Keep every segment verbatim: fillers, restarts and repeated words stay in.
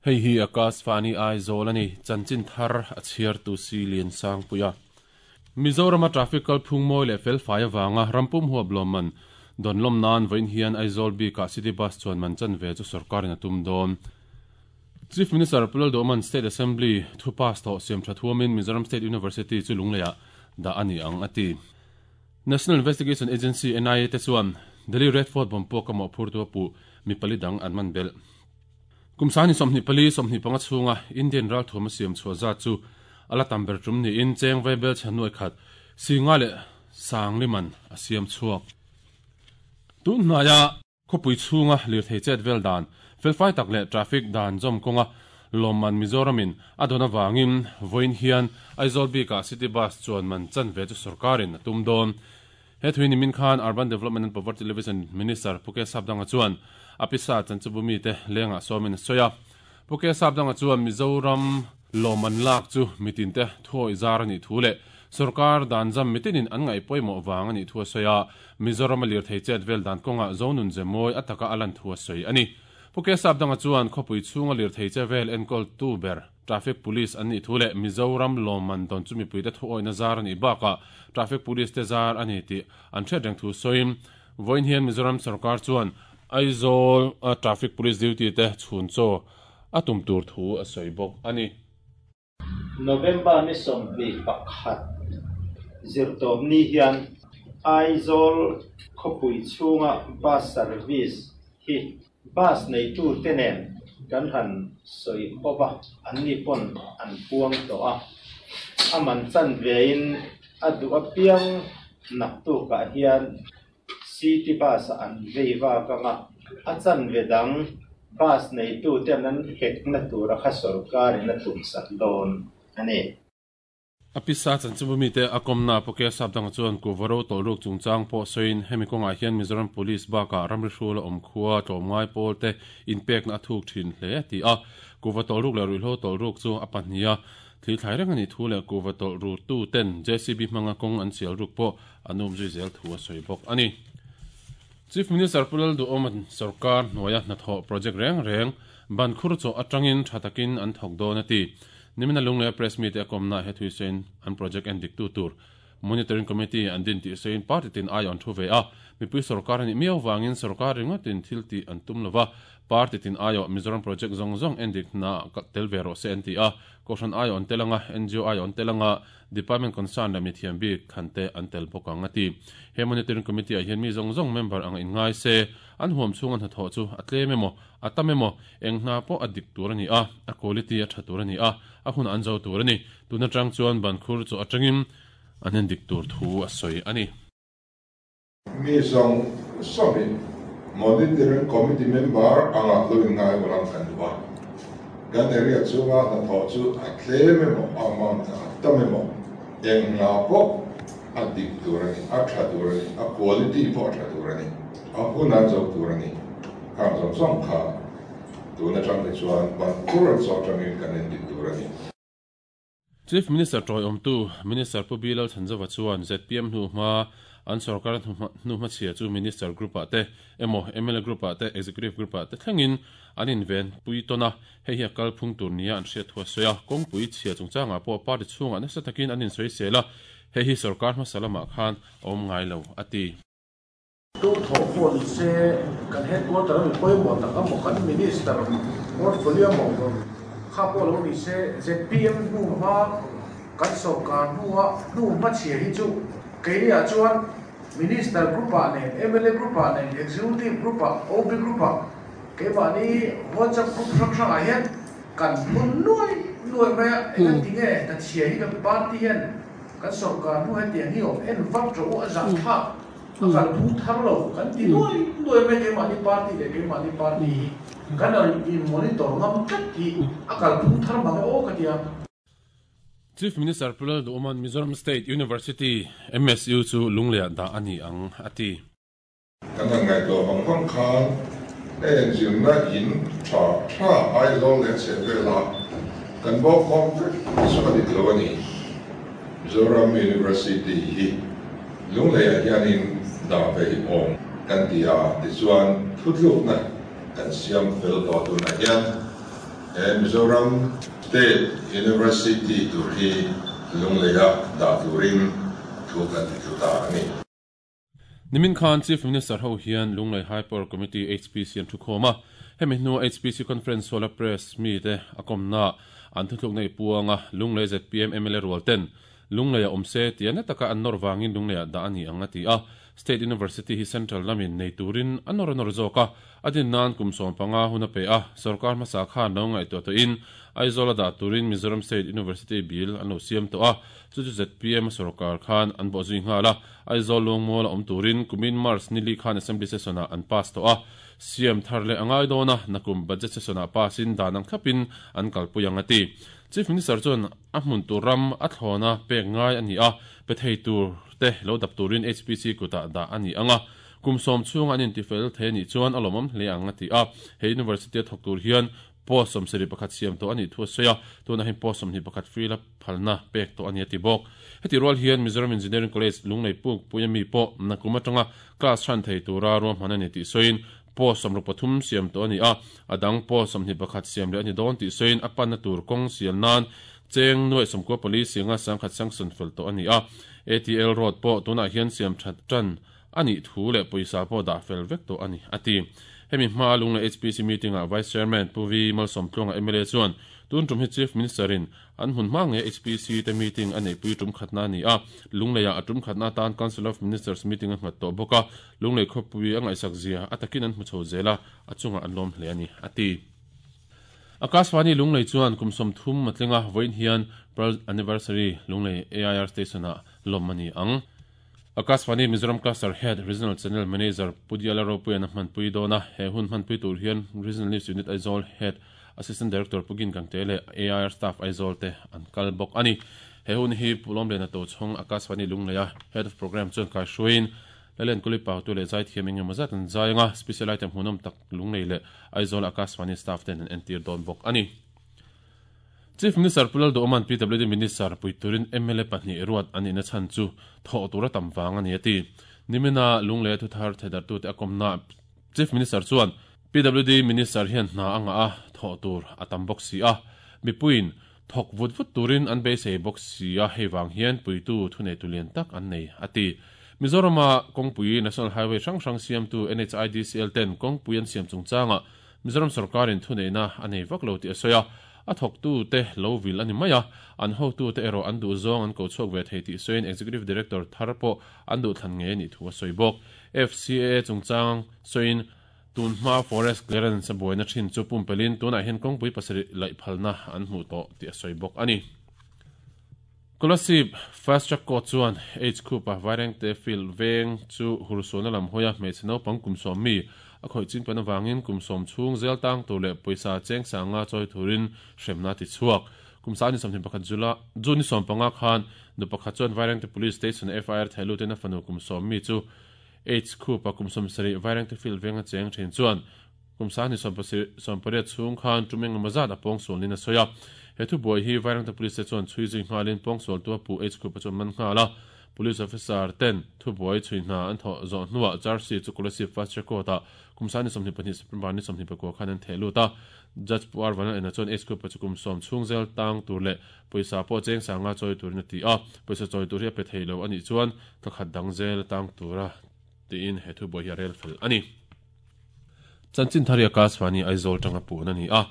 Hei hi Akashvani Aizawl ani chanchin thar a chhiar tu si lian sang puia Mizoram traffic kal phung moi le fel fai awanga rampum huap lawmman don lom nan voin hian Aizawl bi ka city bus chuan man chan ve chu sarkar in atum don Chief Minister Pulal Doman State Assembly thu pass to siam thathuamin Mizoram State University chu lungleya da ani ang ati National Investigation Agency N I A te chuan Delhi Red Fort bomb pawh ka mo phur tu pu mi pali dang an man bel Kumsani somni pali somni panga chunga Indian ral thoma siam chhuwa za chu ala tamber tum ni in cheng veibel chanoi khat singa le sangliman a siam chuak tun hnaya khopui chunga lir thei chet vel dan felfai tak le traffic dan jom konga lomman Mizoramin adona wangin voin hian Aizawl bi ka city bus chuan man chan ve chu sarkarin tum don he thuini min khan Urban Development and Poverty Alleviation Minister Puke Sapdanga chuan apisa chanchubumi te lenga somin soya Puke Sapdanga chuan Mizoram loman lak chu mitin te thoi zar ani thule sarkar dan jam mitinin an ngai poimo wang ani thua soya Mizoram lir thei chet vel dan konga zonun zemoi ataka alan thua soi ani Puke Sapdanga chuan khopui chunga lir thei che vel enkol tu ber traffic police ani thule Mizoram loman don chumi puite thoi na zar ani baka traffic police te zar ani ti an thredeng thu soim voin hian Mizoram sarkar chuan Aizawl traffic police duty te chhun cho atum tur thu a soibok ani November ni sombi pakhat zirtawm ni hian Aizawl khawpui chhunga bus service hi bus nei tu te nen kan han sawi hova an ni pawn an puang tawh a a man chan vein a duh apiang nak tukah hian city bus an vei vak anga a chan ve dang bus nei tu ten an hek na tura kha sarkarin a tum sak dawn ani apisa chanchubumi te akomna Puke Sapdanga chuan ku varo tolruk chungchang pawh sawiin hemi kawngah hian Mizoram Police baka ramri hrula awm khua tlawmngai pawl te inpek na a thuk thin hle ti a kuva tolruk leh ruihhlo tolruk chu a pahnih a thil thlai reng ani thu leh kuva tolru tu ten J C B hmanga kawng an sial ruk pawh an um zui zel thu a sawi bawk ani Chief Minister Pulal Duoman sarkar hnuaia hnathawh project reng reng ban khur chaw atangin thatakin an thawk dawn ati nimina lungle press meet akomna he thuisen an project en dik tu tur monitoring committee an din ti sein party tin ai on thu ve a mipui sarkar ni miau wangin sarkar ringotin thil ti an tum lova party tin ayo Mizoram project zong zong en dik na tel vero se an ti a koshan ai on telanga N G O ai on telanga department concern la mithiam bi khante an tel bokang ati he monitoring committee a hian mi zong zong member ang in ngai se an huam chung an tho chu atle memo atamemo engna po adik tur ani a a quality a thatur ani a a hun an zo tur ani tuna tang chuan ban khur chu atangin an en dik tur thu a soi ani mi zong somin monitoring committee member anga loin ngai walang kan duwa kan area chunga na tho chu atle memo amount atamemo engna po adik tur ani a thatur ani a quality po thatur ani a hun an zo tur ani kham zong zong kha tuna tang te chuan ban khur zo tangin kan en dik tur ani Chief Minister Troy Omtu Minister Pu Bilal Thanzawa chuan Z P M hnu hma an sarkar hnu hma chhia chu Minister Group ah te emo M L A Group ah te Executive Group ah te thlengin an inven pui tona hei hi a kal phung tur nia an hriat thua soya kawngpui chhia chungchangah pawh party chhungah nasa takin an insawi sela hei hi sarkar hmasa lamah khan a awm ngai lo ati tu tho pawh ni se kan headquarter mi pawimawh tak a maw kan minister portfolio maw kha pawh lo ni se Z P M hnu hma kan sarkar hnuah hnu hma chhia hi chu keiniah chuan minister group ah nen M L A group ah nen executive group ah O B group ah keimahni WhatsApp group hrang hrangah hian kan phun nuai nuai mai a eng ti nge ta chhia hi kan party hian kan sarkar hnu hetiang hi awm en vat ro a zah thlak a kal phung thar lo kan ti nuai nuai mai keimahni party leh keimahni party hi kan in monitor ngam tlat hi a kal phung thar mang aw ka tia Chief Minister Pulal Duoman Mizoram State University M S U chu lunglea da ani ang ati kan ngai to bang bang khan en zin na in tha tha Aizawl le che vela kan bo kom so ka dik lo ani Mizoram University hi Lunglei hianin dah ve hi awm kan ti a, tichuan thutlukna kan siam fel tawh tunah hian he Mizoram State University tur hi Lungleia dah turin thu kan ti tlu ta a ni. Nimin khan Chief Minister ho hian Lunglei High Power Committee H P C an thu khawm a, hemi hnu H P C Conference Solar Press mi te a kawmna an thutluk nei puanga Lunglei Z P M M L A rual ten Lungleia awm se tia na taka an nawr wangin Lungleia dah ani ang a ti a. State University hi Central lamin nei turin an nawr nawr zawk a, a din nan kum sawm panga hun a pe a, sarkar hmasa khan lo ngaihtuah tawhin Aizawl a dah turin Mizoram State University bill an lo siam tawh a, chu chu Z P M sarkar khan an bawh zui nghal a, Aizawl lungmual a awm turin kumin March nili khan Assembly session ah an pass tawh a, siam thar leh angai dawn a, nakum budget session ah pass in dan ang thlapin an kalpui ang a ti. Chief Minister chuan a hmun tur ram a thlawna pek ngai ani a, pe thei tur te lo dap turin H P C kuta dah ani anga, kum sawm chhung an intifel the ni chuan a lawmawm hle ang a ti a. He university a thawk tur hian post sawm sarih pakhat siam tawh ani thu a sawi a, tunah hian post sawmhnih pakhat free la phalna pek tawh ani a ti bawk. Heti rual hian Mizoram Engineering College Lunglei puk puia mi pawh nakum atanga class than thei tura ruahman ani tih sawiin post sawmruk pathum siam tawh ani a, a dang post sawmhnih pakhat siam leh ani dawn tih sawiin a panna tur kawng sial nan cheng nuai sawmkua pali singa sangkhat sanction fel tawh ani a. A T L road pawh tunah hian siam that tan ani thu leh pawisa pawh dah fel vek tawh ani a ti. Hemi hma Lunglei H P C meeting ah Vice Chairman Pu V Malsawmtluanga M L A chuan tun tum hi Chief Minister in an hmun hma nge H P C te meeting a neihpui tum khatna ani a, Lungleia a tum khatna tan Council of Ministers meeting a nghat tawh bawk a, Lunglei khawpui a ngaihsak zia a takin an hmu chho zela a chunga an lawm hle ani a ti. Akashvani Lunglei chuan kum sawm thum matlinga vawiin hian Pearl Anniversary Lunglei A I R Station ah lawm ani ang. Akashvani Mizoram Cluster Head Regional Channel Manager Pudiala Ropuian a hmanpui dawn a, he hun hmanpui tur hian Regional News Unit Aizawl Head Assistant Director Pugin Gangte leh A I R Staff Aizawl te an kal bawk ani. He hun hi Pulawm Lena to chhawng Akashvani Lungleia Head of Program chuan kai hruaiin Lalen Kuli Pau tu leh zai thiam engemaw zat an zai anga, special item hmuhnawm tak Lunglei leh Aizawl Akashvani staff ten an entir dawn bawk ani. Chief Minister Pulal Doman P W D Minister Puiturin M L A pahnih ruat ani na chan chu thaw tura tam wang ani ati. Nimina Lunglei thu thar thedar tu te akomna Chief Minister chuan P W D Minister hian hna anga a thaw tur atam bawk si a, mipuin thok vut vut turin an beisei bawk si a, hei wang hian puitu thunei tulian tak an nei ati. Mizorama kawngpui National Highway hrang hrang siam tu N H I D C L ten kawngpui an siam chungchanga Mizoram sarkarin thuneina a nei vak lo ti a sawi a, a thawk tu te lo vil ani mai a, an ho tu te erawh an duh zawng an ko chhuak ve thei tih sawiin Executive Director thar pawh an duh thlan nge ni thu a sawi bawk. F C A chungchang sawiin tun hma forest clearance a buaina thin chu pumpelin tunah hian kawngpui pasarih laih phalna an hmuh tawh tih a sawi bawk ani. Kolasib Fast Track Court chuan H Khupa Vairengte field veng chu hursuna lam hoia hmeichhe naupang kum sawm mi a khawih chin pan awangin kum sawm chhung zel tang tur leh pawisa cheng sanga chawi turin hremna ti chhuak. Kum sa ni sawmhnih pakhat zula June ni sawm panga khan nu pakhat chuan Vairengte Police Station F I R thailutin a fanu kum sawm mi chu H Khupa kum sawm sarih Vairengte field venga cheng thin chuan kum sa ni sawm pasarih sawm pariat chhung khan tumeng mazat a pawng sualin a sawi a. He thu buai hi Vairengte Police chuan chhui zui nghalin pawng sual tu a pu H Khupa chuan man nghal a, Police officer ten thu buai chhui hna an thaw zawh hnuah charge chu Kolasib Fast Track Court ah kum sa ni sawmhnih pahnih September ni sawmhnih pakua khan an theh lut a. Judge Pu R Vanal ena chuan H Khupa chu kum sawm chhung zel tang tur leh pawisa pawh cheng sanga chawi turin a ti a, pawisa chawi tur hi a pe thei lo anih chuan thakhat dang zel tang tura tiin he thu buai hi a rel fel ani. Chanchin thari Akashvani Aizawl tanga puan ani a.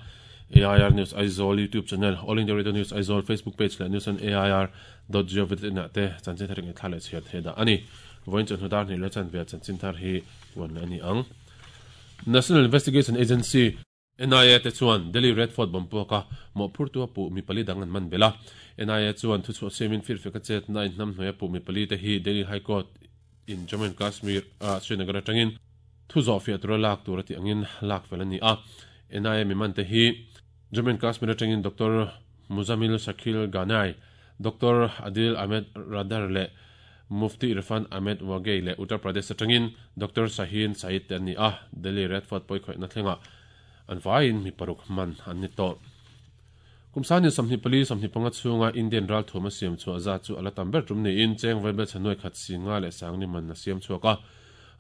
A I R News Aizawl YouTube channel, All India Radio News Aizawl Facebook page leh news on A I R dot gov dot in ah te chanchin thar nge thla leh chhiar the da ani. Voin chan hudar ni le chan ve chanchin thar hi puan le ani ang. National Investigation Agency N I A te chuan Delhi Red Fort bomb puaka mawhphur tu a puh mi pali dang an man bela. N I A chuan thu chhuah siamin fir feka chet na in hnam hnuai a puh mi pali te hi Delhi High Court in Jammu and Kashmir a Srinagar atangin thu zawh fiah tura lak tur ati angin lak fel ani a. N I A mi man te hi Jammu and Kashmir atangin Doctor Muzamil Shakil Ganai, Doctor Adil Ahmed Radar le Mufti Irfan Ahmed Wagay le Uttar Pradesh atangin Doctor Shahin Said te ani a. Delhi Red Fort pawih khawih na thlenga an vain mi paruk man an ni tawh. Kumsani somni pali somni panga chunga Indian ral thoma siam chu aza chu ala tamber tum ni in cheng vaibel chanoi khat singa le sangni man na siam chuaka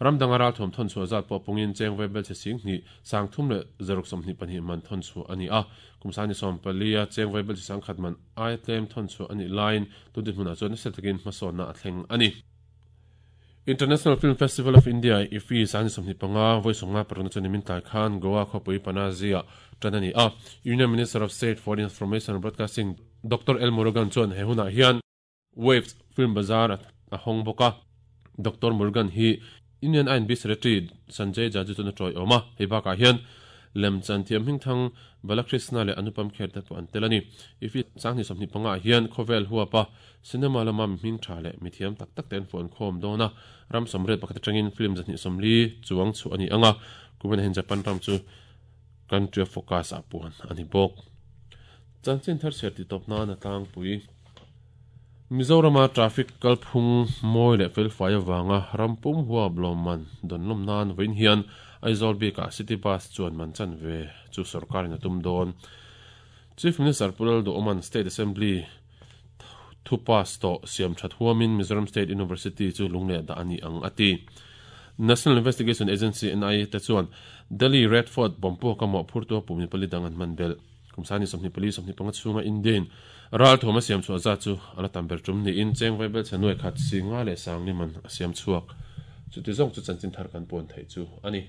ramdanga ral thom thon chu azat po pungin cheng vaibel che sing ni sang thum le zaruk somni pani man thon chu ani a kumsani som pali a cheng vaibel sang khat man ai tlem thon chu ani line tu din huna chu na setakin mason na thleng ani International Film Festival of India I F I sani somni panga voi songa paruna chu nimin tai khan Goa khopui Panazia tanani a Union Minister of State for Information and Broadcasting Doctor L Murugan chuan he huna hian Waves Film Bazaar a hong boka Doctor Murugan hi Union I N B Secretary Sanjay Jaju chu na troi oma hei baka hian lem chan thiam hing thang Balakrishna le Anupam Kher te pawh an tel ani I F I sangni somni panga hian khawvel huapa cinema lama mi hming tha le mi thiam tak tak ten phone khawm dawna ram somret pakhat atangin film zahnih sawmli chuang chu ani anga kumin hen Japan ram chu country of focus a puan ani bawk chanchin thar ser ti tawp nan a tlangpui Mizorama traffic kalphung mawi leh felfai awanga rampum huap lawmman dawnlawm nan vawiin hian Aizawl bika city bus chuan man chan ve chu sarkarin a tum dawn Chief Minister Pulal Duoman State Assembly thu pass to siam that huamin Mizoram State University chu lungle da ani ang ati National Investigation Agency N I A te chuan Delhi Red Fort bompo ka mo phurtu pumi pali dangan man bel kumsani somni pali somni panga chunga Indian ral thoma siam chu aza chu ala tamber tum ni in cheng vaibel chanoi khat singa le sangni man siam chuak chu ti zong chu chanchin thar kan pon thei chu ani.